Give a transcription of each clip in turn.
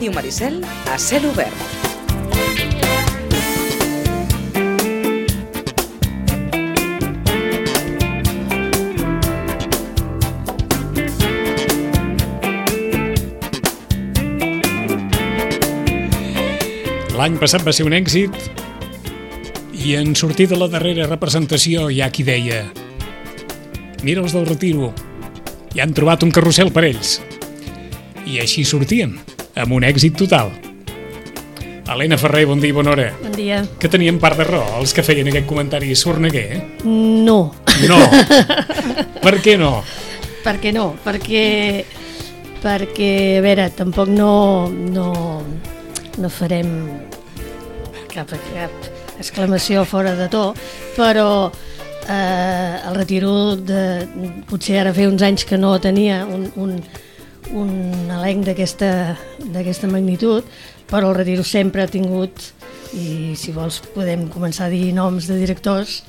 Ràdio Maricel a cel obert. L'any passat va ser un èxit i en sortir de la darrera representació hi ha qui deia: mira els del Retiro, ja han trobat un carrusel per ells. I així sortíem, amb un èxit total. Helena Ferrer, bon dia i bona hora. Bon dia. Que tenien part de raó els que feien aquest comentari sorneguer, eh? No. No. Per què no? Per què no? Perquè, a veure, tampoc no farem cap exclamació fora de to, però el Retiro potser ara feia uns anys que no tenia un elenc d'aquesta magnitud, però el Retiro sempre ha tingut, i si vols podem començar a dir noms de directors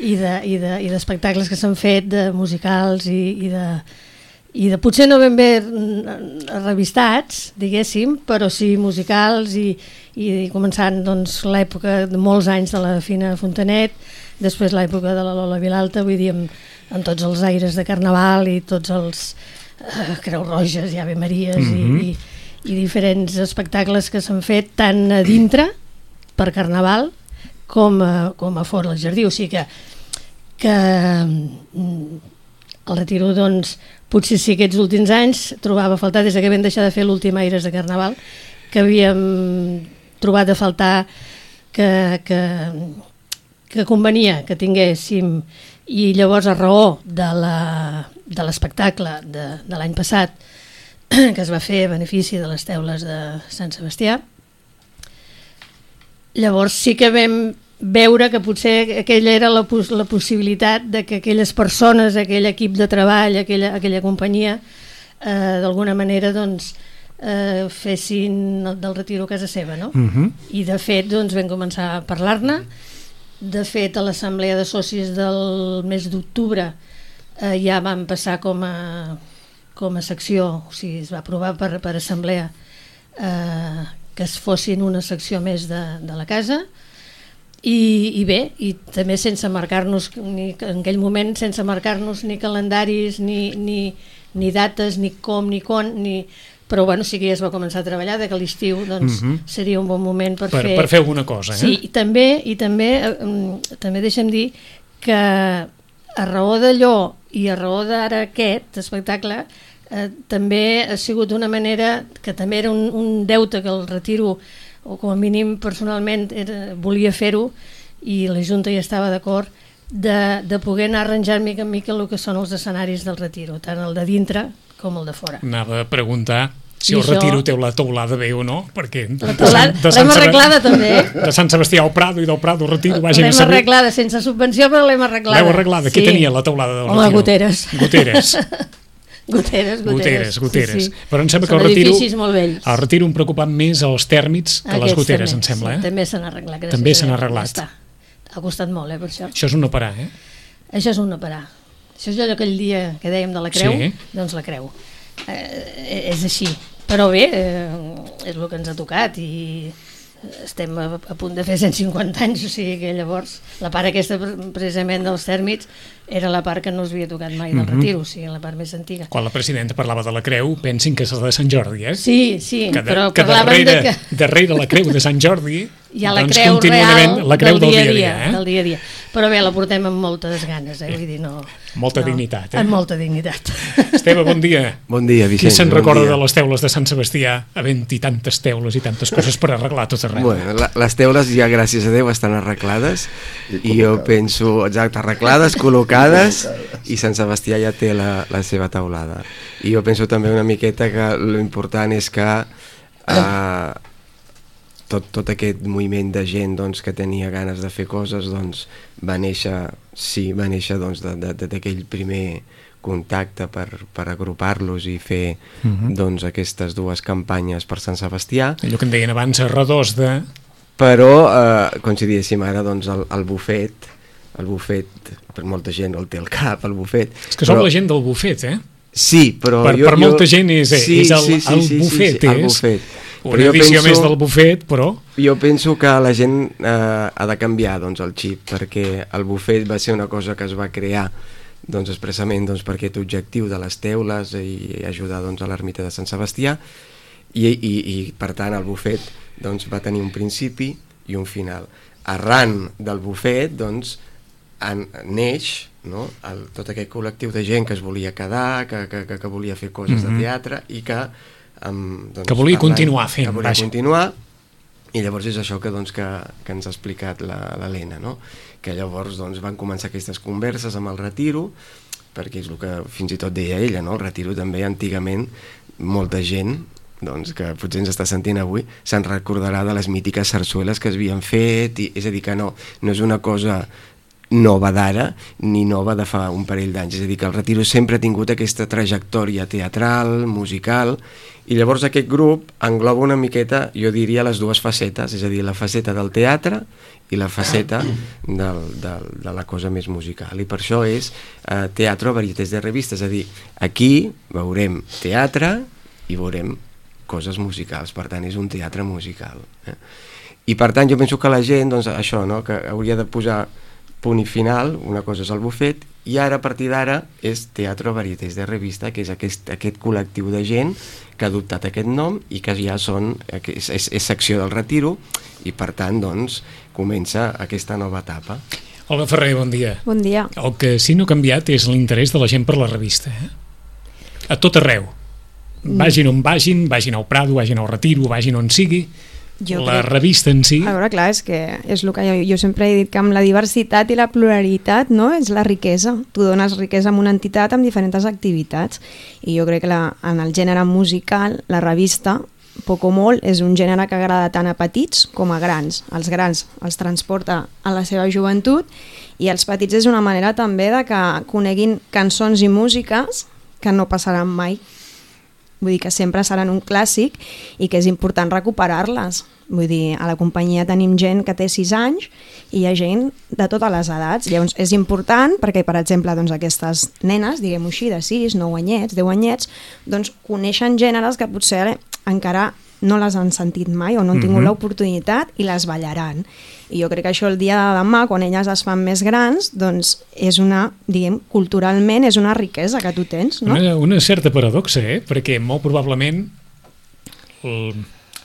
i d'espectacles que s'han fet, de musicals i de potser no ben bé revistats, diguéssim, però sí musicals i començant doncs, l'època de molts anys de la Fina Fontanet, després l'època de la Lola Vilalta, vull dir, amb tots els aires de Carnaval i tots els Creu Roges i Ave Maries i diferents espectacles que s'han fet tant a dintre per Carnaval com a fora del jardí, o sigui que el Retiro doncs potser sí aquests últims anys trobava a faltar, des que vam deixar de fer l'últim Aires de Carnaval, que havíem trobat a faltar que convenia que tinguéssim, i llavors a raó de l'espectacle de l'any passat que es va fer a benefici de les teules de Sant Sebastià, llavors sí que vam veure que potser aquella era la possibilitat de que aquelles persones, aquell equip de treball, aquella companyia, d'alguna manera doncs, fessin del Retiro casa seva, no? I de fet doncs, vam començar a parlar-ne. De fet, a l'assemblea de socis del mes d'octubre ja vam passar com a secció, o sigui, es va aprovar per assemblea que es fossin una secció més de la casa. I bé, i també sense marcar-nos en aquell moment, sense marcar-nos ni calendaris ni dates, ni com, ni quan, però bueno, sí que ja es va començar a treballar, que l'estiu doncs, seria un bon moment per fer alguna cosa. Sí, i també deixa'm dir que a raó d'allò i a raó d'ara aquest espectacle també ha sigut una manera que també era un deute que el Retiro, o com a mínim personalment volia fer-ho, i la Junta ja estava d'acord, de poder anar arranjant mica en mica el que són els escenaris del Retiro, tant el de dintre com el de fora. Anava a preguntar si el Retiro té la teulada bé o no, perquè la teulada l'hem arreglada també, de Sant Sebastià al Prado i del Prado al Retiro vagin a saber. L'hem arreglada sense subvenció, però l'hem arreglada. L'heu arreglada? Què tenia la teulada del Retiro? Home, goteres. Goteres. Sí. Però em sembla que són edificis molt vells. El Retiro em preocupa més els tèrmits que les goteres, em sembla. Sí, també s'han arreglat. També s'han arreglat. Ha costat molt, per això. Això és un no parar, eh? Això és un no parar. Això és allò aquell dia que dèiem de la creu, doncs la creu. És així. Però bé, és el que ens ha tocat i estem a punt de fer 150 anys, o sigui que llavors la part aquesta precisament dels tèrmits era la part que no us havia tocat mai del Retiro, o sigui, la part més antiga. Quan la presidenta parlava de la creu, pensin que és la de Sant Jordi, eh? Sí, però parlaven que darrere la creu de Sant Jordi hi ha la creu real del dia a dia. Però bé, la portem amb moltes ganes, vull dir, no... Molta dignitat, Amb molta dignitat. Esteve, bon dia. Bon dia, Vicenç. Qui se'n recorda de les teules de Sant Sebastià, havent-hi tantes teules i tantes coses per arreglar tot arreu? Bueno, les teules ja, gràcies a Déu, estan arreglades i jo penso, exacte, arreglades, col·locades, i Sant Sebastià ja té la seva teulada. I jo penso també una miqueta que l'important és que tot aquest moviment de gent doncs, que tenia ganes de fer coses doncs, va néixer doncs, d'aquell primer contacte per agrupar-los i fer doncs, aquestes dues campanyes per Sant Sebastià. Allò que en deien abans, redós de... Però, com si diguéssim ara, doncs, el bufet, per molta gent el té al cap, el bufet. És que som la gent del bufet, eh? Sí, però... Per molta gent és el bufet. El bufet. Una edició més del bufet, però... Jo penso que la gent ha de canviar doncs, el xip, perquè el bufet va ser una cosa que es va crear doncs, expressament doncs, per aquest objectiu de les teules i ajudar doncs, a l'ermita de Sant Sebastià i per tant el bufet doncs, va tenir un principi i un final. Arran del bufet doncs, neix no? Tot aquest col·lectiu de gent que es volia quedar, que volia fer coses de teatre i que doncs, que volia continuar fent, que volia continuar, i llavors és això que ens ha explicat l'Helena, no? Que llavors doncs, van començar aquestes converses amb el retiro, perquè és el que fins i tot deia ella, no? El retiro també antigament molta gent doncs, que potser ens està sentint avui se'n recordarà de les mítiques sarsueles que es havien fet, és a dir que no és una cosa nova d'ara ni nova de fa un parell d'anys, és a dir que el retiro sempre ha tingut aquesta trajectòria teatral, musical, i llavors aquest grup engloba una miqueta, jo diria, les dues facetes, és a dir, la faceta del teatre i la faceta de la cosa més musical, i per això és teatre varietés de revista, és a dir, aquí veurem teatre i veurem coses musicals, per tant és un teatre musical, i per tant jo penso que la gent, doncs això, no? Que hauria de posar punt i final, una cosa és el bufet i ara a partir d'ara és Teatre Varietés de Revista, que és aquest col·lectiu de gent que ha adoptat aquest nom i que ja és secció del retiro i per tant doncs comença aquesta nova etapa. Olga Ferrer, bon dia. Bon dia. El que sí no ha canviat és l'interès de la gent per la revista, a tot arreu, vagin on vagin al Prado, vagin al retiro, vagin on sigui, revista en si... A veure, clar, és que és el que jo sempre he dit, que amb la diversitat i la pluralitat, no?, és la riquesa. Tu dones riquesa a una entitat amb diferents activitats. I jo crec que en el gènere musical, la revista, poc o molt, és un gènere que agrada tant a petits com a grans. Els grans els transporta a la seva joventut i els petits és una manera també de que coneguin cançons i músiques que no passaran mai. Vull dir que sempre seran un clàssic i que és important recuperar-les. Vull dir, a la companyia tenim gent que té 6 anys i hi ha gent de totes les edats. Llavors és important perquè, per exemple, doncs, aquestes nenes, diguem-ho així, de 6, 9 anyets, 10 anyets, doncs coneixen gèneres que potser encara no les han sentit mai o no han tingut l'oportunitat i les ballaran. I jo crec que això el dia de demà, quan elles es fan més grans, doncs és una, diguem, culturalment és una riquesa que tu tens, no? Una certa paradoxa, perquè molt probablement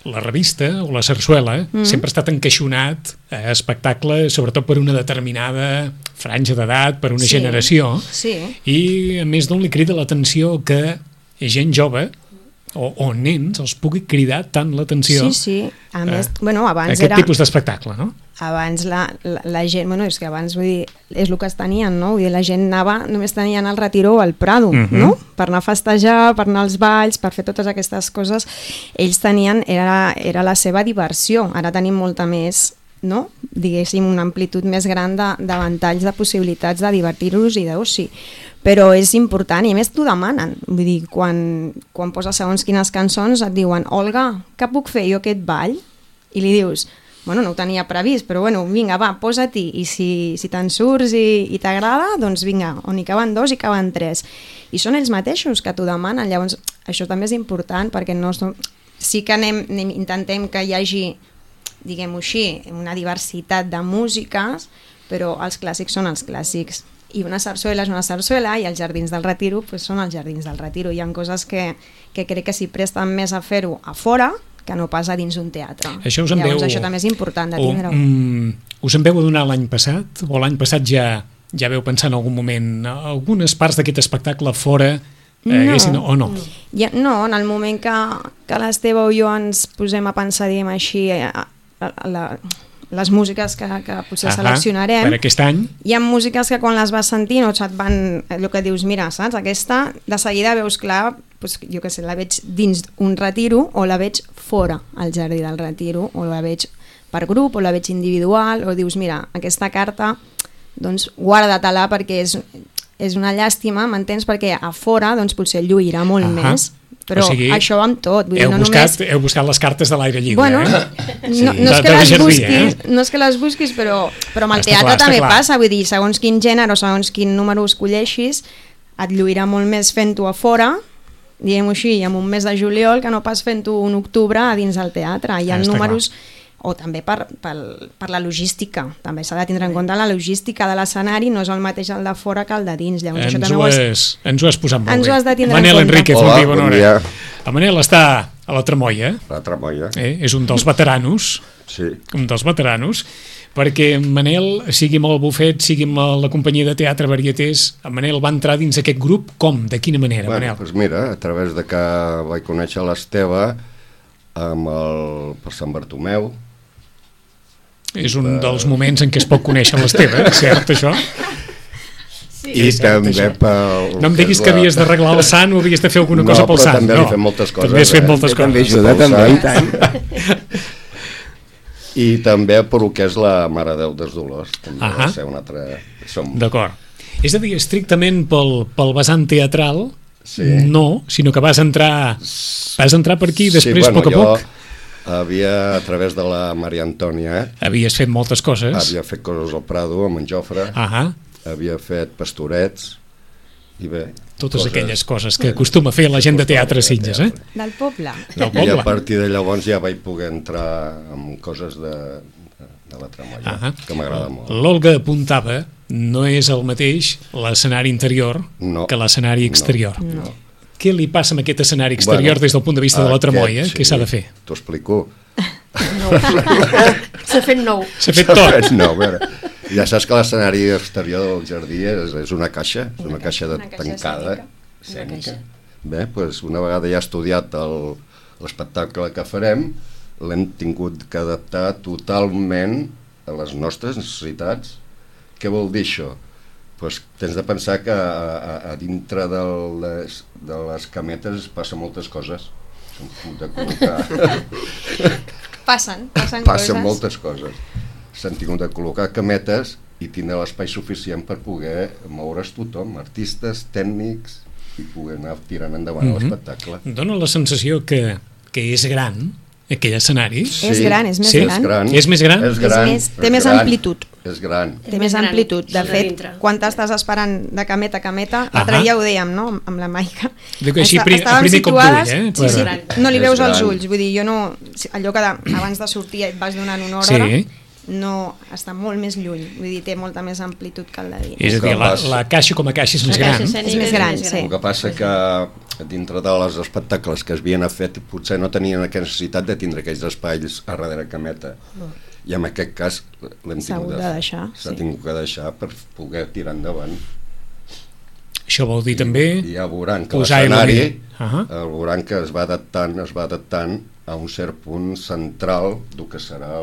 la revista o la sarsuela sempre ha estat encaixonat a espectacle, sobretot per una determinada franja d'edat, per una generació, i a més d'on li crida l'atenció que gent jove o nens els pugui cridar tant l'atenció a més, abans aquest tipus d'espectacle, no? Abans la gent, és que abans vull dir, és el que es tenien, no? Vull dir, la gent anava, només tenien el retiro o el Prado, no? Per anar a festejar, per anar als balls, per fer totes aquestes coses, ells tenien, era la seva diversió. Ara tenim molta més, no? Diguéssim, una amplitud més gran de ventalls de possibilitats de divertir-los i d'oci. Però és important i a més t'ho demanen. Vull dir, quan poses segons quines cançons et diuen Olga, què puc fer jo aquest ball? I li dius, no ho tenia previst, però vinga, va, posa-t'hi i si te'n surts i t'agrada, doncs vinga, on hi caben 2 hi caben 3. I són ells mateixos que t'ho demanen, llavors això també és important perquè sí que intentem que hi hagi, diguem-ho així, una diversitat de músiques, però els clàssics són els clàssics. I una sarsuela és una sarsuela i els jardins del retiro són els jardins del retiro. Hi ha coses que crec que s'hi presten més a fer-ho a fora que no pas a dins d'un teatre. Això això també és important de tindre-ho. Us en veu adonar l'any passat? O l'any passat ja veu pensar en algun moment algunes parts d'aquest espectacle fora haguessin o no? No, en el moment que l'Esteve o jo ens posem a pensar, diguem així, les músiques que potser seleccionarem per aquest any, hi ha músiques que quan les vas sentint o et van, allò que dius, mira, saps, aquesta de seguida veus clar, jo què sé, la veig dins un retiro o la veig fora al jardí del retiro o la veig per grup o la veig individual o dius, mira, aquesta carta doncs guarda-te-la perquè és una llàstima, m'entens, perquè a fora doncs potser lluirà molt més. Però això va amb tot. Heu buscat les cartes de l'aire lliure. No és que les busquis, però amb el teatre també passa. Vull dir, segons quin gènere o segons quin número escolleixis, et lluirà molt més fent-ho a fora diguem-ho així, en un mes de juliol que no pas fent-ho un octubre a dins del teatre. Hi ha números... o també per la logística, també s'ha de tindre en compte la logística de l'escenari, no és el mateix el de fora que el de dins. Llavors, ens ho has posat molt bé. Ens ho has de tindre Manel en compte. Enríquez, Hola, bon bon dia. dia. El Manel està a la Tremolla, La Tremolla. és un dels veteranos, Sí. perquè en Manel, sigui amb el bufet, sigui amb la companyia de teatre Varietés, en Manel va entrar dins aquest grup, com? De quina manera, Bueno, Manel? doncs mira, a través de que vaig conèixer l'Esteve per Sant Bartomeu. És un dels moments en què es pot conèixer l'Esteve, cert, això? I també pel... No em diguis que havies d'arreglar el sant o havies de fer alguna cosa pel però sant. també li fem moltes coses. També has fet moltes coses. També ajuda, també, i tant. I també per el que és la Mare de Déu dels Dolors. També va ser un altre... D'acord. És a dir, estrictament pel vessant teatral, Sí. no, sinó que vas entrar per aquí i després, a poc a poc... Havia, a través de la Maria Antònia, Havies fet moltes coses. havia fet coses al Prado amb en Jofre, havia fet pastorets, i bé... Totes aquelles coses que acostuma a fer la gent de teatre a Sitges, Del poble. I a partir de llavors ja vaig poder entrar en coses de la Tremolla, que m'agrada molt. L'Olga apuntava, no és el mateix l'escenari interior que l'escenari exterior. No. Què li passa amb aquest escenari exterior des del punt de vista de la Tremolla? Què s'ha de fer? T'ho explico. S'ha fet nou. S'ha fet tot. No, a veure, ja saps que l'escenari exterior del jardí és una caixa, és una caixa tancada, escènica. Bé, doncs una vegada ja he estudiat l'espectacle que farem, l'hem tingut que adaptar totalment a les nostres necessitats. Què vol dir això? Pues tens de pensar que a dintre de les cametes passen moltes coses. De Passen coses. Passen moltes coses. S'han tingut de col·locar cametes i tindre l'espai suficient per poder moure's tothom, artistes, tècnics, i poder anar tirant endavant l'espectacle. Dóna la sensació que és gran aquell escenari. És gran, és més gran. És més gran? Té més amplitud. És gran. Té més amplitud. De fet, quan t'estàs esperant de cameta a cameta, l'altre dia ho dèiem, no?, amb la Maica. Dic així, a primer cop d'ull, Sí, no li veus els ulls. Vull dir, jo no... Allò que abans de sortir et vas donant una hora, no, està molt més lluny. Vull dir, té molta més amplitud que el de dins. És a dir, la caixa com a caixa és més gran. És més gran, sí. El que passa que dintre dels espectacles que es havien fet potser no tenien aquesta necessitat de tindre aquells espais a darrere cameta. I en aquest cas l'hem tingut de deixar. S'ha tingut que deixar per poder tirar endavant. Això vol dir també I ja veuran que l'escenari veuran que es va adaptant a un cert punt central del que serà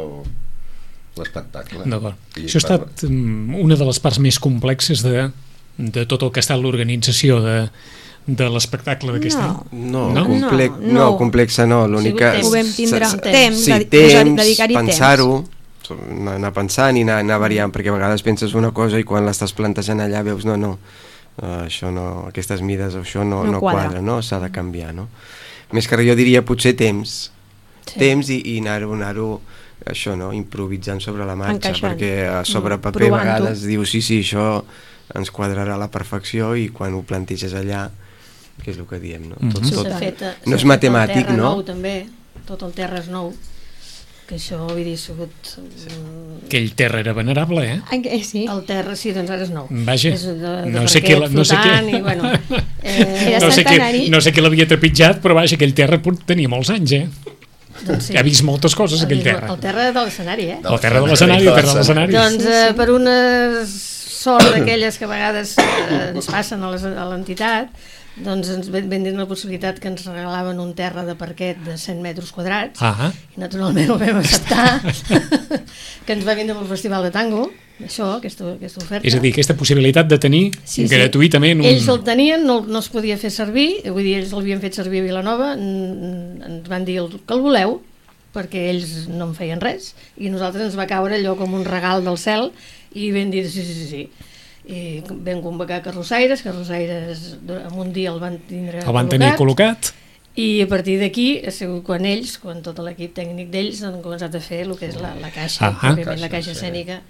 l'espectacle. D'acord. Això ha estat una de les parts més complexes de tot el que ha estat l'organització de l'espectacle d'aquest any. No, complexa no. L'única... Ho vam tindre temps, dedicar-hi temps, pensar-ho, anar pensant i anar variant, perquè a vegades penses una cosa i quan l'estàs plantejant allà veus això no, aquestes mides, això no quadra, no? S'ha de canviar, no? Més que res jo diria potser temps i anar-ho això, no? Improvisant sobre la marxa, perquè sobre paper a vegades dius sí, això ens quadrarà a la perfecció i quan ho planteges allà, que és el que diem, no? No és matemàtic, no? Tot el terra és nou, que això havia sigut... Aquell terra era venerable, Sí. El terra, sí, doncs ara és nou. Vaja, no sé què l'havia trepitjat, però vaja, aquell terra tenia molts anys, ha vist moltes coses, aquell terra. El terra de l'escenari, El terra de l'escenari. Doncs per una sort d'aquelles que a vegades ens passen a l'entitat, doncs ens vam dir la possibilitat que ens regalaven un terra de parquet de 100 metres quadrats i naturalment ho vam acceptar que ens va vindre pel Festival de Tango aquesta oferta. És a dir, aquesta possibilitat de tenir gratuïtament ells el tenien, no es podia fer servir, vull dir, ells l'havien fet servir a Vilanova, ens van dir que el voleu perquè ells no en feien res i nosaltres ens va caure allò com un regal del cel i vam dir sí. I vam convocar carrossaires en un dia el van tenir col·locat i a partir d'aquí ha sigut quan tot l'equip tècnic d'ells han començat a fer el que és la caixa, la caixa escènica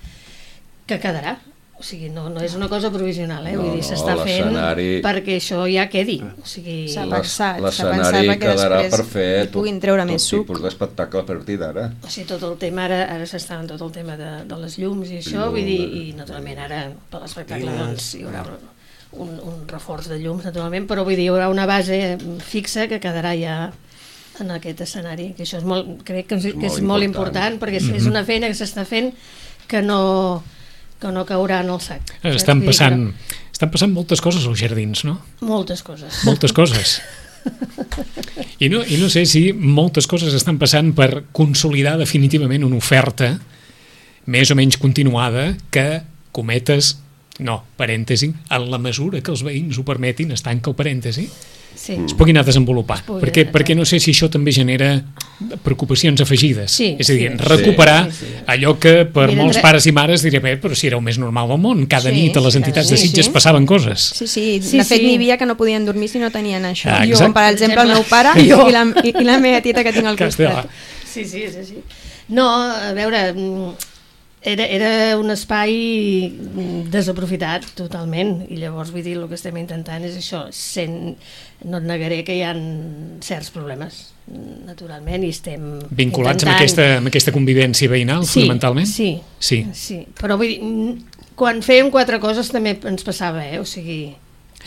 que quedarà, o sigui, no és una cosa provisional, vull dir, No, s'està fent l'escenari- perquè això ja quedi, o sigui... S'ha pensat L'escenari perquè quedarà després per fer hi puguin treure més tot suc. tipus d'espectacle a partir d'ara. O sigui, tot el tema, ara s'està en tot el tema de les llums i això, vull dir, i naturalment ara per l'espectacle doncs hi haurà un reforç de llums, naturalment, però vull dir, hi haurà una base fixa que quedarà ja en aquest escenari, que això és molt, crec que és molt important, perquè és una feina que s'està fent que no caurà en el sac. Estan passant moltes coses als jardins, no? Moltes coses. Moltes coses. I no sé si moltes coses estan passant per consolidar definitivament una oferta més o menys continuada que, cometes, no, parèntesi, en la mesura que els veïns ho permetin, es tanca el parèntesi, Sí. es puguin anar desenvolupant. pugui, Perquè no sé si això també genera preocupacions afegides. Sí, és a dir, sí. recuperar allò que per Mira, molts pares i mares diré, però si era el més normal del món, cada Sí, nit a les cada entitats nit, de Sitges sí. passaven coses. Sí, Sí, de fet sí. n'hi havia que no podien dormir si no tenien això. Ah, Jo, exacte. per exemple, el meu pare Jo. i la meva tieta que tinc al Castella. costat. Sí. No, a veure, era un espai desaprofitat totalment, i llavors vull dir, el que estem intentant és això, no et negaré que hi ha certs problemes, naturalment, i estem Vinculats intentant... amb aquesta convivència veïnal, fonamentalment? Sí, Sí. però vull dir, quan fèiem 4 coses també ens passava, o sigui,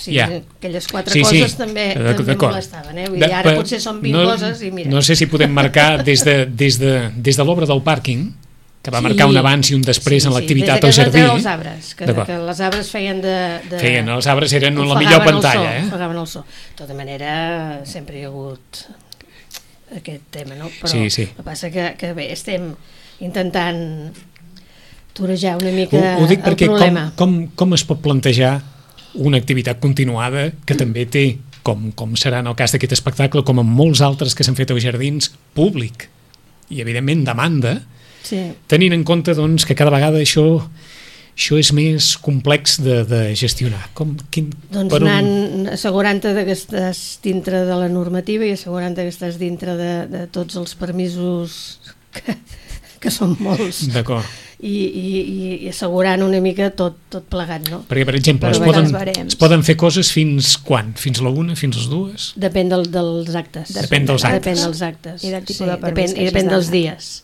Ja. aquelles 4 coses també molestaven, vull dir, ara potser són 20 coses i mira. No sé si podem marcar des de l'obra del pàrquing, que va Sí. marcar un abans i un després en l'activitat al des de jardí. que es van treure els arbres, que D'acord. els arbres feien Feien, els arbres eren la ofegaven millor el pantalla. so, ofegaven el so. De tota manera, sempre hi ha hagut aquest tema, no? Però Sí. el que passa que bé, estem intentant torejar una mica Ho dic el perquè problema. com es pot plantejar una activitat continuada que també té, com serà en el cas d'aquest espectacle, com en molts altres que s'han fet als jardins, públic i evidentment demanda, Sí. tenint en compte doncs, que cada vegada això és més complex de gestionar. Doncs anant assegurant-te que estàs dintre de la normativa i assegurant-te que estàs dintre de tots els permisos que són molts. D'acord. I assegurant una mica tot plegat, no? Perquè, per exemple, es poden fer coses fins quan? Fins la 1, fins les 2? Depèn dels actes. Depèn dels actes. Depèn dels actes. I del tipus de permís que I depèn hagis dels de dies.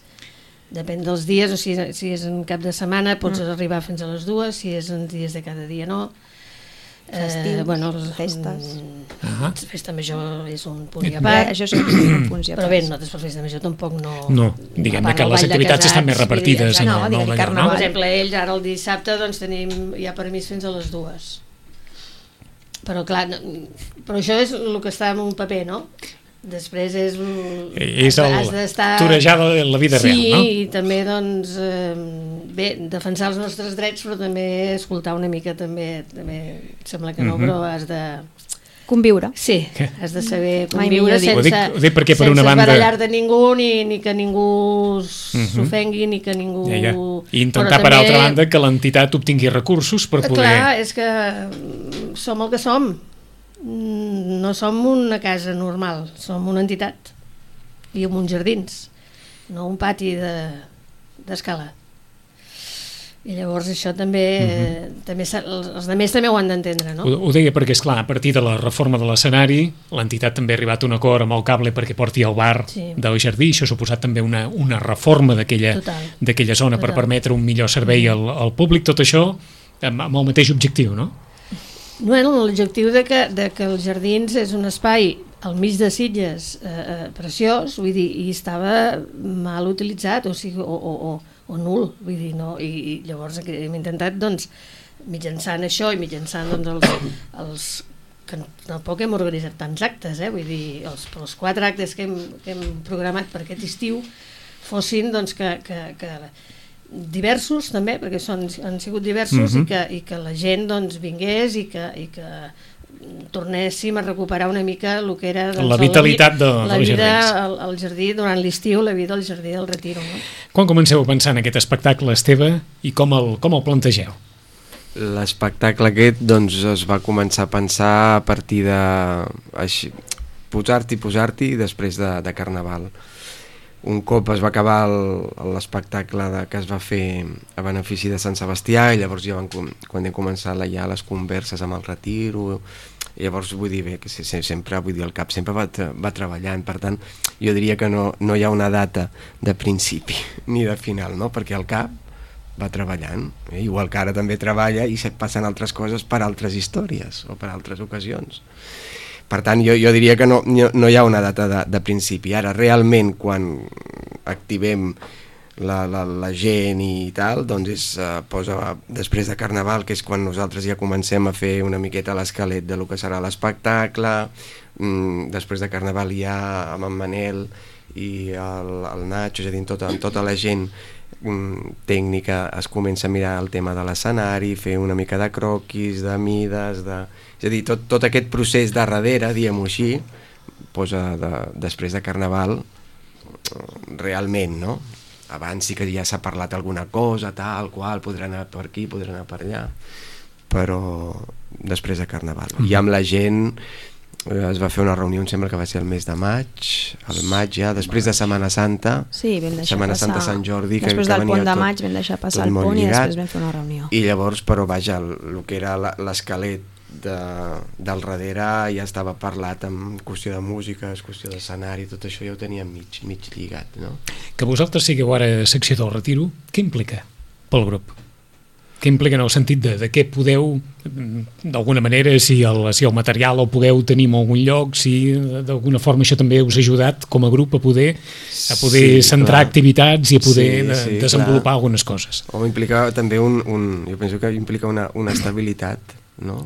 Depèn dels dies, o sigui, si és en cap de setmana pots arribar fins a les 2, si és en dies de cada dia no. Festius, festes. Festa major és un punt i a part. part. Això és un punt i a part. Però bé, nosaltres per festa major tampoc no... No, diguem que les activitats estan més repartides en el nou d'allò, no? Per exemple, ells ara el dissabte doncs tenim ja permís fins a les 2. Però clar, però això és el que està en un paper, no? Després és torejar la vida real, no? Sí, i també doncs bé, defensar els nostres drets, però també escoltar una mica també sembla que no, però has de conviure. Sí, has de saber conviure sense barallar-te ningú ni que ningú s'ofengui ni que ningú... I intentar per altra banda que l'entitat obtingui recursos per poder... Clar, és que som el que som. No som una casa normal, som una entitat i amb uns jardins, no un pati d'escala. I llavors això també, els altres també ho han d'entendre, no? Ho deia perquè, esclar, a partir de la reforma de l'escenari, l'entitat també ha arribat a un acord amb el cable perquè porti el bar del jardí, això ha suposat també una reforma d'aquella zona per permetre un millor servei al públic, tot això amb el mateix objectiu, no? Bueno, l'objectiu de que els jardins és un espai al mig de Sitges preciós, vull dir, i estava mal utilitzat, o sigui, o nul, vull dir, no? I llavors hem intentat, doncs, mitjançant això i mitjançant els que tampoc hem organitzat tants actes, vull dir, els 4 actes que hem programat per aquest estiu fossin, doncs, que diversos també, perquè han sigut diversos i que la gent doncs vingués i que tornéssim a recuperar una mica el que era la vitalitat la vida al jardí durant l'estiu, la vida al jardí del Retiro, no? Quan comenceu a pensar en aquest espectacle, Esteve, i com el plantegeu? L'espectacle aquest doncs, es va començar a pensar a partir de posar-t'hi després de Carnaval. un cop es va acabar l'espectacle que es va fer a benefici de Sant Sebastià, i llavors ja quan hem començat ja les converses amb el retiro, llavors vull dir, que sempre, vull dir, el CAP sempre va treballant, per tant jo diria que no hi ha una data de principi ni de final, no? Perquè el CAP va treballant, igual que ara també treballa i passen altres coses per altres històries o per altres ocasions. Per tant, jo diria que no hi ha una data de principi. Ara, realment, quan activem la gent i tal, doncs posa després de Carnaval, que és quan nosaltres ja comencem a fer una miqueta l'esquelet de lo que serà l'espectacle. Després de Carnaval ja amb en Manel i el Nacho, és a dir, amb tota la gent tècnica es comença a mirar el tema de l'escenari, fer una mica de croquis, de mides, és a dir, tot aquest procés de darrere, diguem-ho així, posa després de Carnaval realment, no? Abans sí que ja s'ha parlat alguna cosa, tal qual, podrà anar per aquí, podrà anar per allà, però després de Carnaval. I amb la gent es va fer una reunió, em sembla que va ser el mes de maig, ja, després de Setmana Santa, sí, Setmana Santa Sant Jordi, després del pont de maig vam deixar passar el pont i després vam fer una reunió. I llavors, però vaja, el que era l'esquelet del darrere ja estava parlat en qüestió de música, qüestió d'escenari, tot això ja ho teníem mig lligat, no? Que vosaltres sigueu ara secció del Retiro, què implica pel grup? Què implica en el sentit de què podeu, d'alguna manera, si el material el podeu tenir en algun lloc, si d'alguna forma això també us ha ajudat com a grup a poder centrar activitats i a poder desenvolupar algunes coses. O implica també jo penso que implica una estabilitat, no?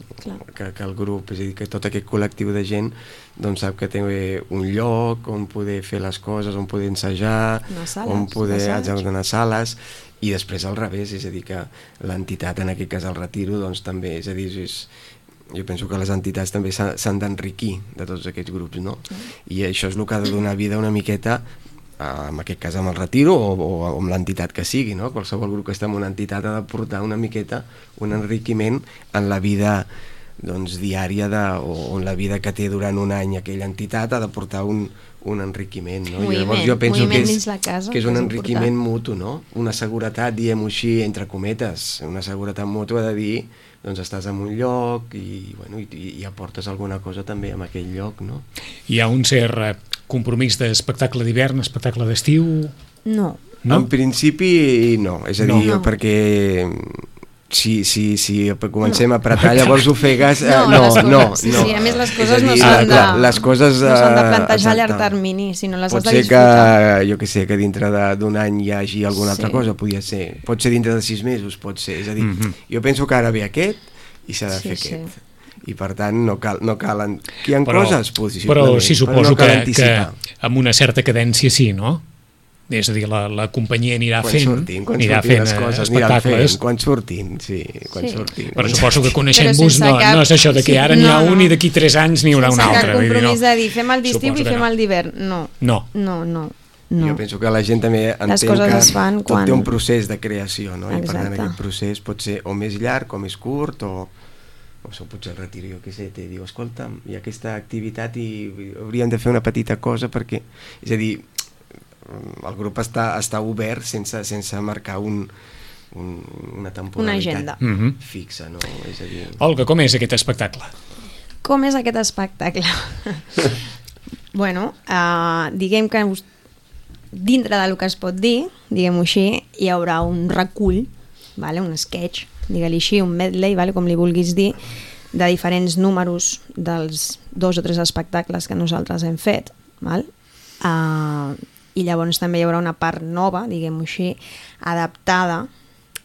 Que el grup, és a dir, que tot aquest col·lectiu de gent doncs sap que té un lloc on poder fer les coses, on poder ensejar, on poder anar a sales. I després al revés, és a dir, que l'entitat, en aquest cas el Retiro, doncs també, és a dir, jo penso que les entitats també s'han d'enriquir de tots aquests grups, no? I això és el que ha de donar vida una miqueta, en aquest cas amb el Retiro o amb l'entitat que sigui, no? Qualsevol grup que està en una entitat ha de portar una miqueta un enriquiment en la vida diària o en la vida que té durant un any aquella entitat, ha de portar un enriquiment, no? Llavors jo penso que és un enriquiment mutu, no? Una seguretat, diguem-ho així, entre cometes, una seguretat mútua de dir, doncs estàs en un lloc i aportes alguna cosa també en aquell lloc, no? Hi ha un cert compromís d'espectacle d'hivern, espectacle d'estiu? No. En principi no, és a dir, perquè si comencem a apretar llavors ofegues, no. Sí, a més les coses no s'han de plantejar a llarg termini, sinó les has de disfrutar. Pot ser que, jo què sé, que dintre d'un any hi hagi alguna altra cosa, pot ser dintre de 6 mesos, pot ser, és a dir, jo penso que ara ve aquest i s'ha de fer aquest. I per tant no calen... Hi ha coses, però sí suposo que amb una certa cadència sí, no? És a dir, la companyia anirà fent espectacles. Quan surtin. Però suposo que coneixent-vos no és això de que ara n'hi ha un i d'aquí 3 anys n'hi haurà un altre. Sense cap compromís de dir fem el d'estiu i fem el d'hivern. No. Jo penso que la gent també entén que tot té un procés de creació, no? I per tant aquest procés pot ser o més llarg o més curt, o potser el Retiro, jo què sé, diu, escolta, hi ha aquesta activitat i hauríem de fer una petita cosa perquè, és a dir, el grup està obert sense marcar una temporalitat fixa, no? És a dir... Olga, com és aquest espectacle? Com és aquest espectacle? Bueno, diguem que dintre del que es pot dir, diguem-ho així, hi haurà un recull, un sketch, digue-li així, un medley, com li vulguis dir, de diferents números dels 2 o 3 espectacles que nosaltres hem fet, i llavors també hi haurà una part nova, diguem-ho així, adaptada,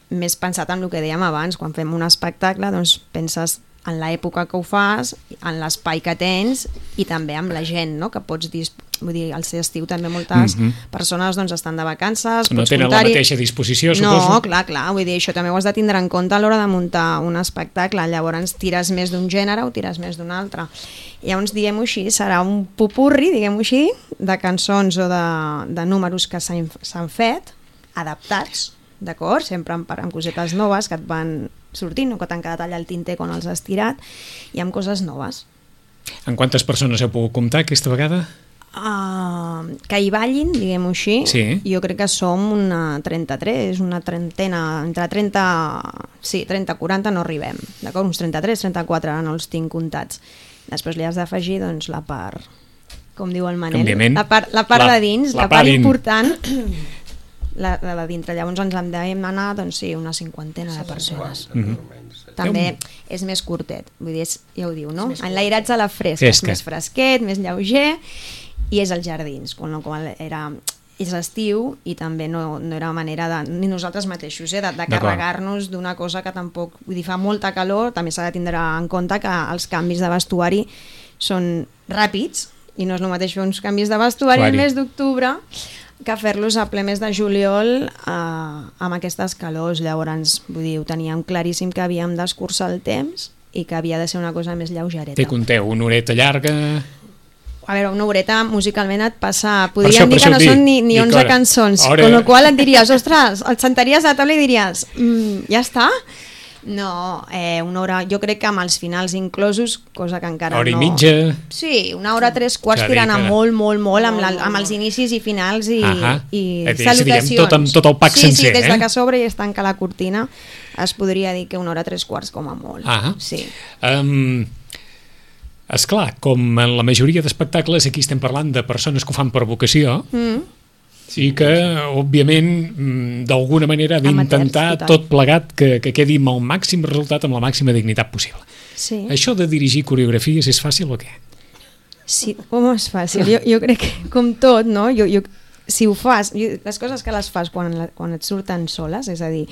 més pensat en el que dèiem abans, quan fem un espectacle doncs penses en l'època que ho fas, en l'espai que tens i també amb la gent, no? Que pots dir, vull dir, al ser estiu també moltes persones doncs estan de vacances, no tenen la mateixa disposició, suposo. No, clar, vull dir, això també ho has de tindre en compte a l'hora de muntar un espectacle, llavors tires més d'un gènere o tires més d'un altre. Llavors, diguem-ho així, serà un popurri, diguem-ho així, de cançons o de números que s'han fet, adaptats, d'acord? Sempre amb cosetes noves que et van sortint o que t'han quedat allà al tinter quan els has tirat i amb coses noves. En quantes persones heu pogut comptar aquesta vegada? que hi ballin, diguem-ho així, Sí. jo crec que som una 33, una trentena, entre 30, sí, 30-40 no arribem, d'acord? Uns 33, 34, ara no els tinc comptats. Després li has d'afegir doncs, la part, com diu el Manel, Òbviament. la part de dins, la part important, la de dintre. Llavors ens hem d'anar, doncs sí, una 50 de persones. També és més curtet, vull dir, ja ho diu, no? Enlairatge a la fresca, és més fresquet, més lleuger, i és als jardins, quan és estiu i també no era manera ni nosaltres mateixos de carregar-nos d'una cosa que tampoc, vull dir, fa molta calor, també s'ha de tindre en compte que els canvis de vestuari són ràpids i no és el mateix fer uns canvis de vestuari el mes d'octubre que fer-los a ple mes de juliol amb aquestes calors. Llavors, vull dir, ho teníem claríssim que havíem d'escurçar el temps i que havia de ser una cosa més lleugereta. Té conteu, una horeta llarga... A veure, una horeta musicalment et passa... Podríem dir que no són ni 11 cançons, amb la qual et diries, ostres, et sentaries a la taula i diries, ja està? No, una hora, jo crec que amb els finals inclosos, cosa que encara no... Hora i mitja... Sí, una hora 3/4 tirant a molt, amb els inicis i finals i salutacions. Tot el pack sencer, Sí, des de que s'obre i es tanca la cortina, es podria dir que una hora 3/4 com a molt. Sí. Esclar, com en la majoria d'espectacles, aquí estem parlant de persones que ho fan per vocació i que, òbviament, d'alguna manera ha d'intentar tot plegat que quedi amb el màxim resultat, amb la màxima dignitat possible. Sí. Això de dirigir coreografies és fàcil o què? Sí, com és fàcil? Jo crec que, com tot, no? Si ho fas, les coses que les fas quan et surten soles, és a dir,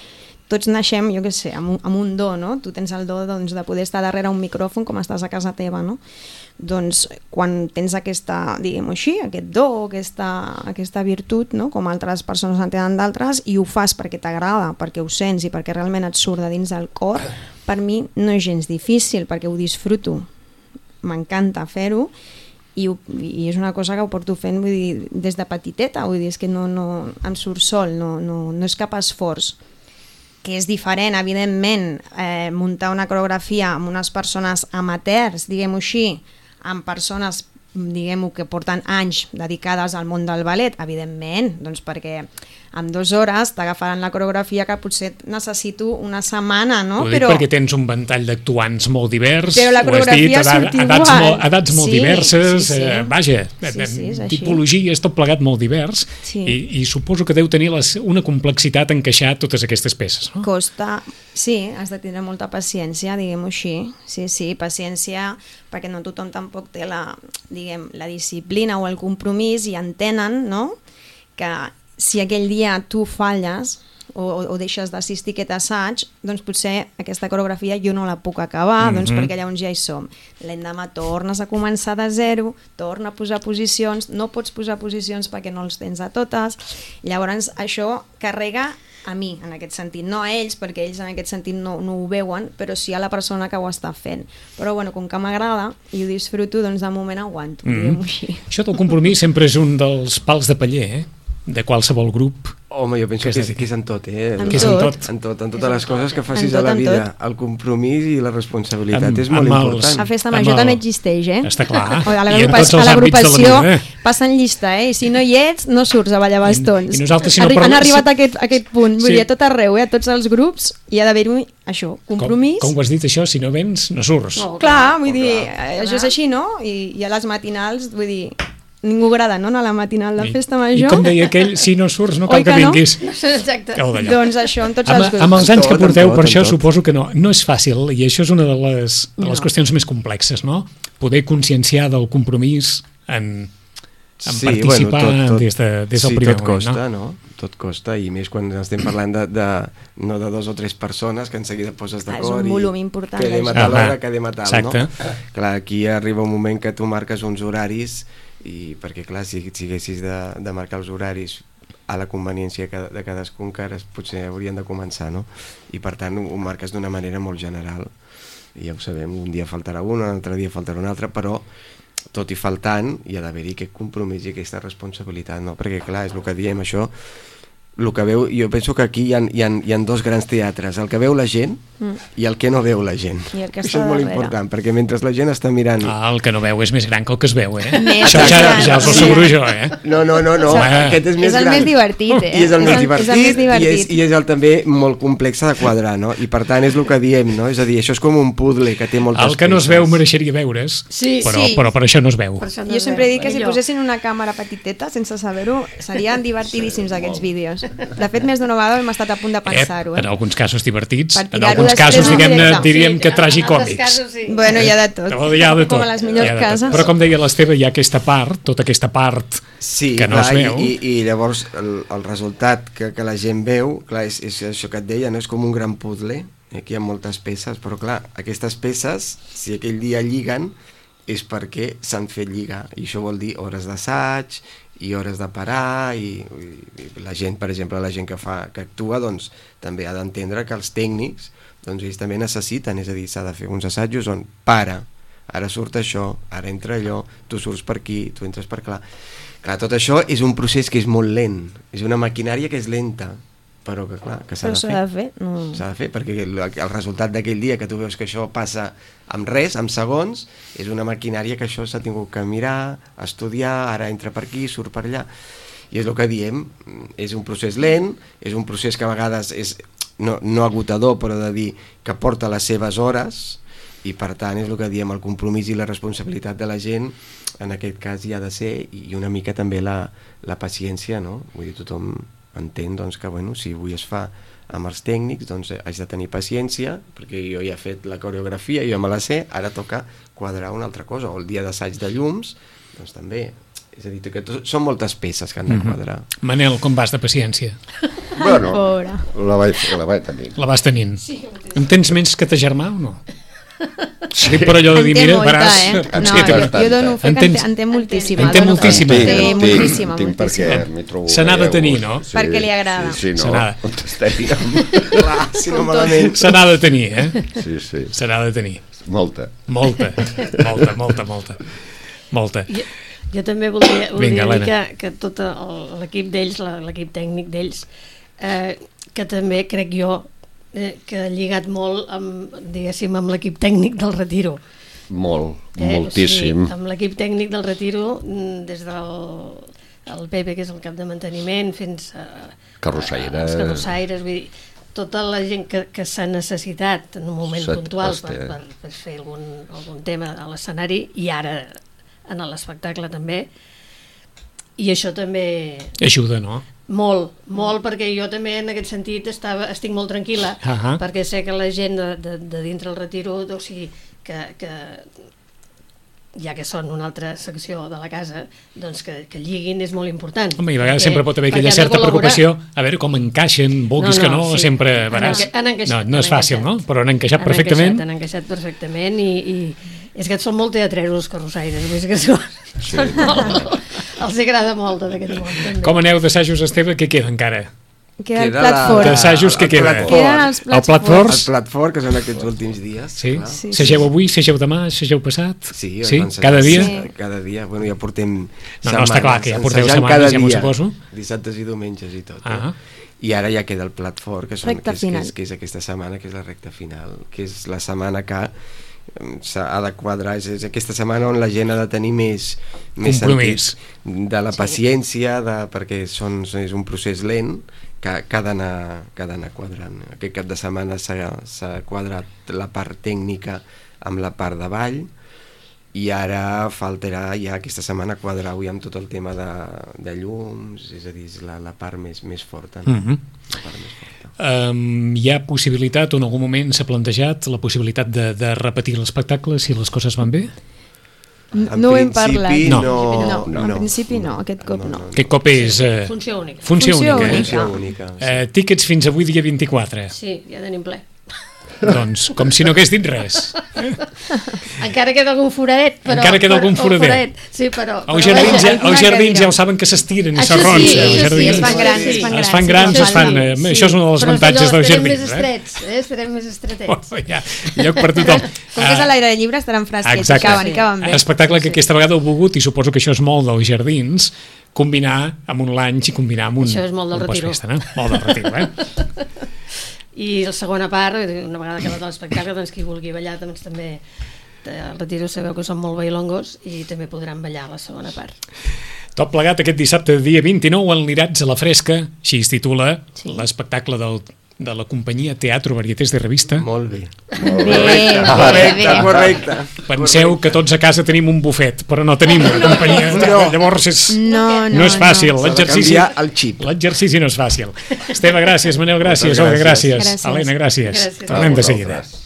tots naixem, jo què sé, amb un do, no? Tu tens el do doncs, de poder estar darrere un micròfon com estàs a casa teva, no? Doncs quan tens aquesta, diguem-ho així, aquest do, aquesta virtut, no? Com altres persones en tenen d'altres, i ho fas perquè t'agrada, perquè ho sents i perquè realment et surt de dins del cor, per mi no és gens difícil, perquè ho disfruto. M'encanta fer-ho, i és una cosa que ho porto fent, vull dir, des de petiteta, vull dir, és que no em surt sol, no és cap esforç. Que és diferent, evidentment, muntar una coreografia amb unes persones amateurs, diguem-ho així, amb persones, diguem-ho, que porten anys dedicades al món del ballet, evidentment, doncs perquè en 2 hores t'agafaran la coreografia que potser necessito una setmana, no? Ho dic perquè tens un ventall d'actuants molt divers, però la coreografia surt igual. Edats molt diverses, vaja, és tipologies, tot plegat molt divers, i suposo que deu tenir una complexitat encaixar totes aquestes peces, no? Costa, sí, has de tindre molta paciència, diguem-ho així, sí, paciència, perquè no tothom tampoc té la disciplina o el compromís i entenen, no?, que si aquell dia tu falles o deixes d'assistir a aquest assaig, doncs potser aquesta coreografia jo no la puc acabar, doncs perquè llavors ja hi som. L'endemà tornes a començar de zero, torna a posar posicions, no pots posar posicions perquè no els tens a totes, llavors això carrega a mi, en aquest sentit, no a ells, perquè ells en aquest sentit no ho veuen, però sí a la persona que ho està fent. Però bueno, com que m'agrada i ho disfruto, doncs de moment aguanto, diguem-ho així. Això del compromís sempre és un dels pals de paller, de qualsevol grup. Home, jo penso que és en tot, Que és en tot. En totes les coses que facis a la vida. El compromís i la responsabilitat és molt important. La festa major també existeix, Està clar. A l'agrupació passen llista, i si no hi ets, no surts a ballar bastons. Han arribat a aquest punt, vull dir, a tot arreu, a tots els grups, hi ha d'haver-hi això, compromís. Com ho has dit, això? Si no vens, no surts. Clar, vull dir, això és així, no? I a les matinals, vull dir, ningú agrada, no?, a la matinal de festa major. I com deia aquell, si no surts no cal que vinguis. Exacte. Doncs això, en tots els grups. Amb els anys que porteu, per això suposo que no és fàcil, i això és una de les qüestions més complexes, no? Poder conscienciar del compromís en participar des del primer moment, no? Tot costa, i més quan estem parlant no de 2 o 3 persones que en seguida poses d'acord i... És un volum important. Quedem a tal hora, quedem a tal, no? Clar, aquí arriba un moment que tu marques uns horaris, i perquè clar, si haguessis de marcar els horaris a la conveniència de cadascun, que ara potser haurien de començar, no? I per tant ho marques d'una manera molt general, i ja ho sabem, un dia faltarà un altre dia faltarà un altre, però tot i faltant hi ha d'haver-hi aquest compromís i aquesta responsabilitat, no? Perquè clar, és el que diem, això el que veu, jo penso que aquí hi ha dos grans teatres, el que veu la gent i el que no veu la gent. I el que Això està és molt darrere. important, perquè mentre la gent està mirant... El que no veu és més gran que el que es veu, Més Això gran. ja us ho asseguro jo, No, aquest és més És el gran. més divertit, I és el més divertit, És el més divertit. i és el també molt complex de quadrar, no? I per tant és el que diem, no? És a dir, això és com un puzzle que té moltes El que no es veu peces. mereixeria veure's, Sí, però per això no es veu. Per això no Jo es sempre veu. dic que si Millor. posessin una càmera petiteta, sense saber-ho, serien divertidíssims aquests vídeos. De fet, més d'una vegada hem estat a punt de pensar-ho. En alguns casos divertits, Per en tirar-ho alguns després casos, en diguem-ne, directe. diríem que en altres tragicòmics. casos, sí. Bueno, hi ha de tot. Hi ha de tot. Com a les millors Hi ha de tot. cases. Però com deia l'Esteve, hi ha aquesta part, tota aquesta part Sí, que no clar, es veu. i llavors el resultat que la gent veu, clar, és això que et deia, no? És com un gran puzzle, aquí hi ha moltes peces, però clar, aquestes peces, si aquell dia lliguen, és perquè s'han fet lligar, i això vol dir hores d'assaig, i hores de parar, i la gent, per exemple, la gent que actua, doncs també ha d'entendre que els tècnics, doncs ells també necessiten, és a dir, s'ha de fer uns assajos on para, ara surt això, ara entra allò, tu surts per aquí, tu entres per clar. Clar, tot això és un procés que és molt lent, és una maquinària que és lenta, però que clar, que s'ha de fer. No. S'ha de fer, perquè el resultat d'aquell dia que tu veus que això passa amb res, amb segons, és una maquinària que això s'ha tingut que mirar, estudiar, ara entra per aquí, surt per allà, i és el que diem, és un procés lent, és un procés que a vegades és no agotador, però de dir que porta les seves hores, i per tant és el que diem, el compromís i la responsabilitat de la gent en aquest cas hi ha de ser, i una mica també la paciència, no? Vull dir, tothom entén doncs, que bueno, si avui es fa amb els tècnics, doncs haig de tenir paciència, perquè jo ja he fet la coreografia, jo me la sé, ara toca quadrar una altra cosa, o el dia d'assaig de llums, doncs també, és a dir, que són moltes peces que han de quadrar. Manel, com vas de paciència? Bueno, Pobre. la vaig tenir. La vas tenint. En tens menys que ta germà o no? Sí. Dic per allò de dir, En té mira, molta, veràs... No, jo dono fe que en té moltíssima. En té dono fe. moltíssima. Moltíssima, Tinc perquè moltíssima. m'hi trobo... Se n'ha de bé a tenir, gust. no? Perquè li agrada. Sí, Se no, n'ha- on estaríem? Clar, si no malament. Se n'ha de tenir, Sí. Se n'ha de tenir. Molta. Molta. Jo també voldria Vinga, dir Helena. que tot l'equip d'ells, l'equip tècnic d'ells, que també crec jo que ha lligat molt amb, diguéssim, amb l'equip tècnic del Retiro. Molt, moltíssim. O sigui, amb l'equip tècnic del Retiro, des del Pepe, que és el cap de manteniment, fins a Carrossaire. els carrossaires, vull dir, tota la gent que s'ha necessitat en un moment puntual per fer algun tema a l'escenari, i ara en l'espectacle també, i això també... Ajuda, no? Molt, perquè jo també en aquest sentit estic molt tranquil·la, perquè sé que la gent de dintre el Retiro, o sigui, que ja que són una altra secció de la casa, doncs que lliguin és molt important. Home, i a vegades sempre pot haver aquella certa preocupació a veure com encaixen, vulguis que no, sempre veràs. No és fàcil, no? Però han encaixat perfectament. Han encaixat perfectament i és que són molt teatreros els carrossaires, és que són molt... Els agrada molt en aquest món, també. Com aneu d'assajos, Esteve? Què queda encara? Queda el plat fort. D'assajos, què queda? Queden els El plat forts. forts? El plat fort, que són aquests últims dies. Sí? Sí. Segeu avui, segeu demà, segeu passat? Sí, Cada dia? Sí. Cada dia. Bueno, ja portem setmanes. No, està clar que ja porteu ensajant setmanes, cada ja m'ho dia, suposo. Dissabtes i diumenges i tot. Ah. I ara ja queda el plat fort, que és aquesta setmana, que és la recta final, que és la setmana que s'ha de quadrar, és aquesta setmana on la gent ha de tenir més compromís de la paciència, perquè és un procés lent que ha d'anar quadrant. Aquest cap de setmana s'ha quadrat la part tècnica amb la part de ball, i ara faltarà ja aquesta setmana quadrar avui amb tot el tema de llums, és a dir, la part més forta, no? La part més forta. Hi ha possibilitat, o en algun moment s'ha plantejat la possibilitat de repetir l'espectacle si les coses van bé? No ho hem parlat. No. En principi no, aquest cop no. Aquest cop és... Funció única. Funció única. Funció única, sí. Tíquets fins avui dia 24. Sí, ja tenim ple. Doncs, com si no hagués dit res. Encara queda algun foradet, però... Encara queda algun foradet. Sí, però... Els jardins ja ho saben que s'estiren i s'arronsen. Sí, es fan grans. Es fan grans, això és un dels avantatges dels jardins. Estarem més estretets. Hi ha lloc per tothom. Com que és a l'aire lliure estaran fresquets i caben bé. Espectacle que aquesta vegada heu volgut, i suposo que això és molt dels jardins, combinar amb un lunch i combinar amb un... Això és molt del retiro. Postfesta, no? Molt del retiro, I la segona part, una vegada acabat l'espectacle, doncs qui vulgui ballar doncs també al retiro sabeu que són molt bailongos i també podran ballar a la segona part. Tot plegat aquest dissabte, dia 29, en l'Irats a la Fresca, així es titula l'espectacle de la companyia Teatro Varietés de Revista. Molt bé. Correcte. Penseu que tots a casa tenim un bufet, però no tenim una companyia. Llavors no és fàcil. L'exercici no és fàcil. Esteve, gràcies. Manel, gràcies. Olga, gràcies. Helena, gràcies. Tornem de seguida.